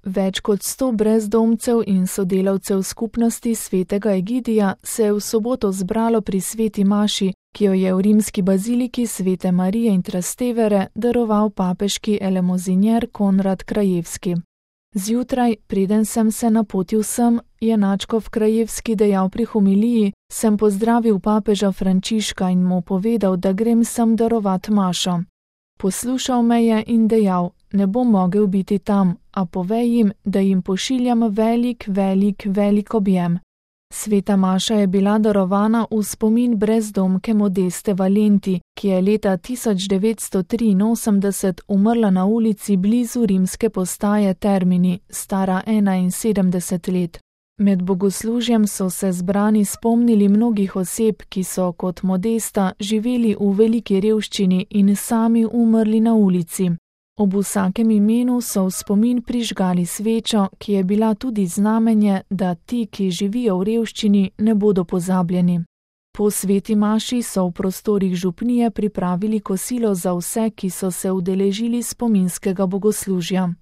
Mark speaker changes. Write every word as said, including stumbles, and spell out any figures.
Speaker 1: Več kot sto brezdomcev in sodelavcev skupnosti svetega Egidija se je v soboto zbralo pri sveti maši, ki jo je v rimski baziliki svete Marije in Trastevere daroval papeški elemozinjer Konrad Krajevski. Zjutraj, preden sem se napotil sem, je nadškof Krajevski dejal pri homiliji, sem pozdravil papeža Frančiška in mu povedal, da grem sem darovat mašo. Poslušal me je in dejal, ne bom mogel biti tam, a povej jim, da jim pošiljam velik, velik, velik objem. Sveta maša je bila darovana v spomin brezdomke Modeste Valenti, ki je leta tisoč devetsto triinosemdeset umrla na ulici blizu rimske postaje Termini, stara enainsedemdeset let. Med bogoslužjem so se zbrani spomnili mnogih oseb, ki so kot Modesta živeli v veliki revščini in sami umrli na ulici. Ob vsakem imenu so v spomin prižgali svečo, ki je bila tudi znamenje, da ti, ki živijo v revščini, ne bodo pozabljeni. Po sveti maši so v prostorih župnije pripravili kosilo za vse, ki so se udeležili spominskega bogoslužja.